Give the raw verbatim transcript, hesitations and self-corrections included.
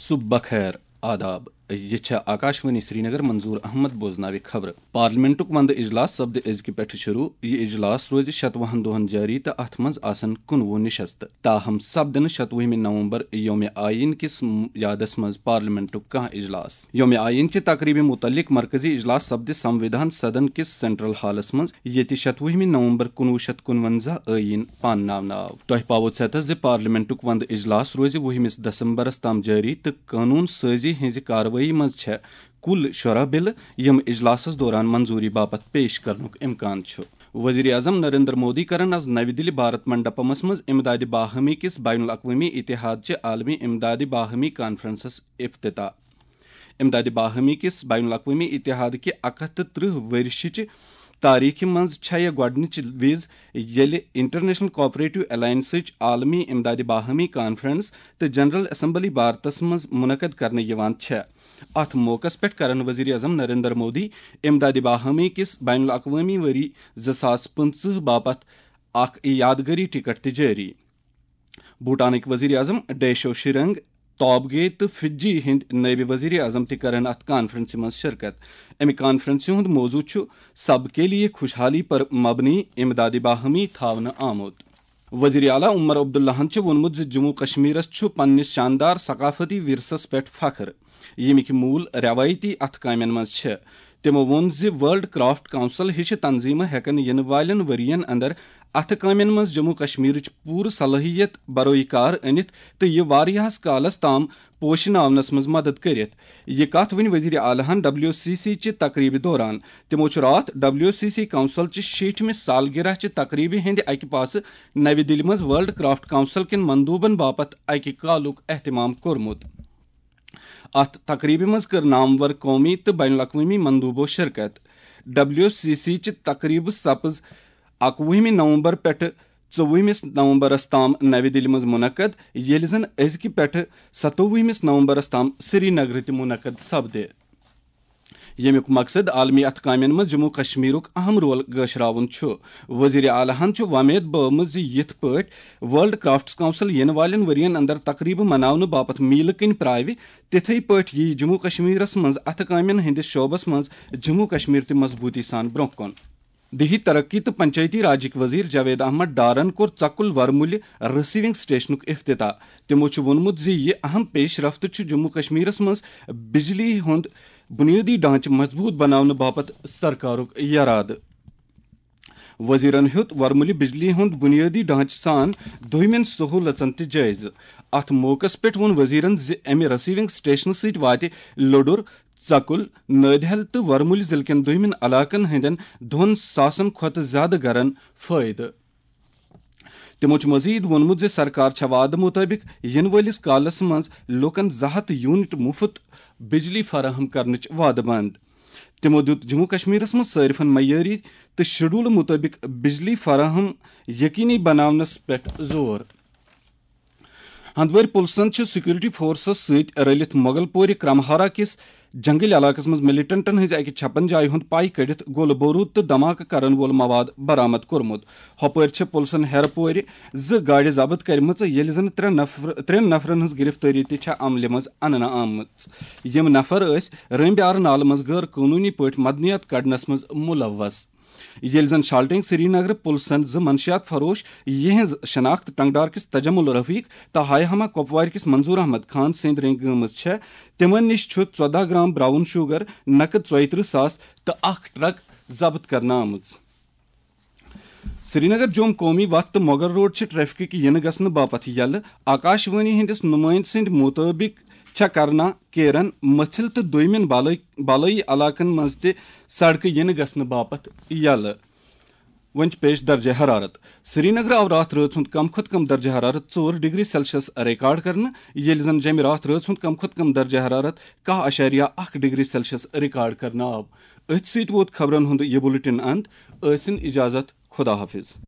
صبح بخیر، آداب۔ یہِ چھےٚ آکاشوانی سرینگر، منظور احمد بوزناوِ خبرٕ۔ پارلیمنٹُک وندٕ اجلاس سپدِ أزکہِ پٮ۪ٹھٕ شروع۔ یہِ اجلاس روزِ شتوُہن دۄہن جٲری تہٕ اتھ منٛز آسن کُنوُہ نشستہٕ۔ تاہم سپدِ نہٕ شتوُہمہِ نومبر یوم آئین کِس م-، یادس منٛز پارلیمنٹُک کانٛہہ اجلاس۔ یوم آئین چہِ تقریبہِ متعلق مرکزی اجلاس سپدِ سموِدھان سدن کِس سینٹرل ہالس منٛز، ییٚتہِ شتوُہمہِ نومبر کُنوُہ شیٚتھ کُنونزہ آئین پانناونہٕ آو۔ تۄہہِ پاوو ژھٮ۪تس زِ پارلیمنٹُک وندٕ اجلاس روزِ وُہمِس دسمبرس تام جٲری تہٕ قونوٗن سٲزی ہٕنٛزِ کاروٲیی منٛز چھےٚ کُل شُراہ بلہٕ، یِم اجلاسس دوران منظوٗری باپتھ پیش کرنُک امکان چھُ۔ وزیر اعظم نریندر مودی کرن از نَوِ دِلہِ بھارت منڈپمس منٛز امدادِ باہمی کِس بین الاقوٲمی اتحاد چہِ عالمی امدادِ باہمی کانفرنسس افتتاح۔ امدادِ باہمی کِس بین الاقوٲمی اتحاد کہِ اکھ ہتھ تہٕ ترٕہ ؤرشہِ چہِ تاریخہِ منٛز چھےٚ یہِ گۄڈٕنِچ وِز، ییٚلہِ انٹرنیشنل کوآپریٹو الائنسٕچ عالمی امدادِ باہمی کانفرنس تہٕ جنرل اسمبلی بھارتس منٛز منعقد کرنہٕ یِوان چھےٚ۔ اتھ موقعس پٮ۪ٹھ کرن وزیر اعظم نریندر مودی امدادِ باہمی کِس بین الاقوٲمی ؤری زٕ ساس پٕنٛژٕہ باپتھ اکھ یادگٲری ٹکٹ تہِ جٲری۔ بھوٹانٕکۍ وزیر اعظم ڈیشو شرنگ توبگے تہٕ فجی ہٕنٛدۍ نٲیِب وزیر اعظم تہِ کرن اتھ کانفرنسہِ منٛز شرکت۔ امہِ کانفرنسہِ ہُنٛد موضوع چھُ "سب کے لیے خوشحالی پر مبنی امدادِ باہمی" تھاونہٕ آمُت۔ وزیر اعلیٰ عمر عبداللہن چھُ ووٚنمُت زِ جموں کشمیرس چھُ پننِس شاندار ثقافتی ورثس پٮ۪ٹھ فخر، ییٚمِکۍ موٗل رٮ۪وٲیتی اتھٕ کامٮ۪ن منٛز چھِ۔ تِمو ووٚن زِ ورلڈ کرافٹ کونسل ہِشہِ تنظیمہٕ ہٮ۪کن یِنہٕ والٮ۪ن ؤرین اندر اتھٕ کامٮ۪ن منٛز جموں کشمیرٕچ پوٗرٕ صلٲحیت بروئے کار أنِتھ تہٕ یہِ واریاہس کالس تام پوشناونس منٛز مدد کٔرِتھ۔ یہِ کتھ ؤنۍ وزیر اعلیٰ ہن ڈبلیو سی سی چہِ تقریبہِ دوران۔ تِمو چھُ راتھ ڈبلیو سی سی کونسل چہِ شیٹھمہِ سالگرہ چہِ تقریبہِ ہٕنٛدِ اکہِ پاسہٕ نَوِ دِلہِ منٛز ورلڈ کرافٹ کونسل کٮ۪ن مندوٗبن باپتھ اکہِ کالُک اہتمام کوٚرمُت۔ اتھ تقریبہِ منٛز کٔر نامور قومی تہٕ بین الاقوٲمی مندوٗبو شرکت۔ ڈبلیو سی سی چہِ تقریبہٕ سپٕز اکوُہمہِ نومبر پٮ۪ٹھٕ ژوٚوُہمِس نومبرس تام نَوِ دِلہِ منٛز منعقد، ییٚلہِ زن أزکہِ پٮ۪ٹھٕ ستووُہمِس نومبرس تام سری نگرٕ تہِ منعقد سپدِ، ییٚمیُک مقصد عالمی اتھٕ کامٮ۪ن منٛز جموں کشمیرُک اہم رول گٲشراوُن چھُ۔ وزیر اعلیٰ ہن چھُ وۄمید بٲومٕژ زِ یِتھ پٲٹھۍ ورلڈ کرافٹس کونسل یِنہٕ والٮ۪ن ؤرین اندر تقریبہٕ مناونہٕ باپتھ میلہٕ کِنۍ پراوِ، تِتھے پٲٹھۍ یِیہِ جموں کشمیرس منٛز اتھٕ کامٮ۪ن ہٕنٛدِس شعبس منٛز جموں کشمیر تہِ مضبوٗطی سان برونٛہہ کُن۔ دیہی ترقی تہٕ پنچایتی راجٕکۍ وزیر جاوید احمد ڈارن کوٚر ژکُل ورمُلہِ رسیونگ سٹیشنُک افتتاح۔ تِمو چھُ ووٚنمُت زِ یہِ اہم پیش رفت چھُ جموں کشمیرس منٛز بجلی ہُنٛد بنیٲدی ڈھانچہٕ مضبوٗط بناونہٕ باپتھ سرکارُک یرادٕ۔ وزیرن ہیوٚت ورمُلہِ بجلی ہُنٛد بنیٲدی ڈھانچہٕ سان دوٚیمٮ۪ن سہوٗلژن تہِ جٲیزٕ۔ اتھ موقعس پٮ۪ٹھ ووٚن وزیرن زِ امہِ رسیونگ سٹیشنہٕ سۭتۍ واتہِ لوٚڈُر، ژکُل، نٲدِہل تہٕ ورمُلۍ ضلعہٕ کٮ۪ن دوٚیمٮ۪ن علاقن ہٕنٛدٮ۪ن دۄن ساسن کھۄتہٕ زیادٕ گرن فٲیدٕ۔ تِمو چھُ مزید ووٚنمُت زِ سرکار چھےٚ وعدٕ مُطٲبِق یِنہٕ وٲلِس کالَس منٛز لوٗکَن زٕ ہَتھ یونٹ مُفت بجلی فراہم کرنٕچ وعدٕ بنٛد۔ تِمو دیُت جموں کشمیرَس منٛز صارفَن معیٲری تہٕ شیڈول مُطٲبِق بجلی فراہم یقینی بناونَس پٮ۪ٹھ زور۔ ہندوٲرۍ پُلسَن چھِ سیکورٹی فورسَس سۭتۍ رٔلِتھ مغل پورِ کرمہارا کِس جنگل علاقَس منٛز ملیٹنٹَن ہٕنٛزِ اَکہِ چھپن جایہِ ہُنٛد پَے کٔڑِتھ گولہٕ بوروٗد تہٕ دھماکہٕ کرن وول مواد برآمد کوٚرمُت۔ ہۄپٲرۍ چھِ پُلسَن ہیرٕ پورِ زٕ گاڑِ ضبط کٔرمٕژ، ییٚلہِ زَن ترٛےٚ نفر، ترٛٮ۪ن نفرَن ہٕنٛز گرفتٲری تہِ چھےٚ عملہِ منٛز اننہٕ آمٕژ۔ یِم نفر ٲسۍ رٲمبیار نالہٕ منٛز غٲر قونوٗنی پٲٹھۍ معدنیات کڑنَس منٛز ملوث۔ ییٚلہِ زَن شالٹینگ سرینگرٕ پُلسَن زٕ منشیات فروش، یِہٕنٛز شناخت ٹنگڈار کِس تجمل رفیق تہٕ ہاے ہما کۄپوارِ کِس منظور احمد خان سٕنٛدۍ رٔنٛگۍ گٔمٕژ چھےٚ، تِمَن نِش چھُ ژۄداہ گرام براؤن شوگر، نقد ژۄیہِ ترٕٛہ ساس تہٕ اکھ ٹرک ضبط کرنہٕ آمٕژ۔ سرینگر جوم قومی وتھ تہٕ مغل روڈ چھِ ٹریفکٕکۍ یِنہٕ گژھنہٕ باپتھ یلہٕ۔ آکاش وانی ہٕنٛدِس نُمٲیِنٛدٕ سٕنٛدِ مُطٲبِق چھےٚ کرنا، کیرن، مٔژھِل تہٕ دوٚیمٮ۪ن بالٲے-، بالٲیی علاقن منٛز تہِ سڑکہٕ یِنہٕ گژھنہٕ باپتھ یلہٕ۔ وۄنۍ چھِ پیش درجہ حرارت۔ سرینگرٕ آو راتھ رٲژ ہُنٛد کم کھۄتہٕ کم درجہ حرارت ژور ڈگری سیلسیس ریکارڈ کرنہٕ، ییٚلہِ زن جیٚمہِ راتھ رٲژ ہُنٛد کم کھۄتہٕ کم درجہ حرارت کاہ اعشاریہ اکھ ڈگری سیلسیس ریکارڈ کرنہٕ آو۔ أتھۍ سۭتۍ ووت خبرن ہُنٛد یہِ بُلٹن اند۔ ٲسِن اجازت، خدا حافظ۔